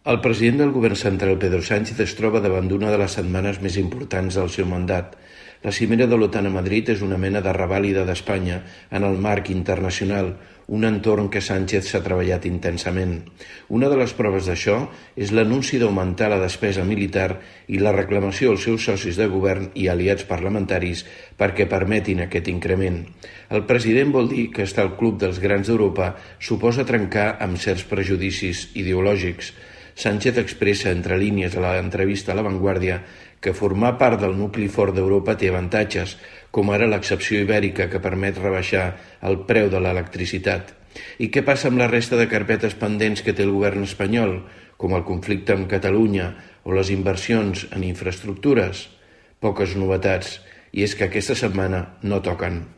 El president del govern central, Pedro Sánchez, es troba davant d'una de les setmanes més importants del seu mandat. La cimera de l'OTAN a Madrid és una mena de revàlida d'Espanya en el marc internacional, un entorn que Sánchez s'ha treballat intensament. Una de les proves d'això és l'anunci d'augmentar la despesa militar i la reclamació als seus socis de govern i aliats parlamentaris perquè permetin aquest increment. El president vol dir que estar al club dels grans d'Europa suposa trencar amb certs prejudicis ideològics. Sánchez expressa entre línies a l'entrevista a La Vanguardia que formar part del nucli fort d'Europa té avantatges, com ara l'excepció ibèrica que permet rebaixar el preu de l'electricitat. I què passa amb la resta de carpetes pendents que té el govern espanyol, com el conflicte amb Catalunya o les inversions en infraestructures? Poques novetats, i és que aquesta setmana no toquen.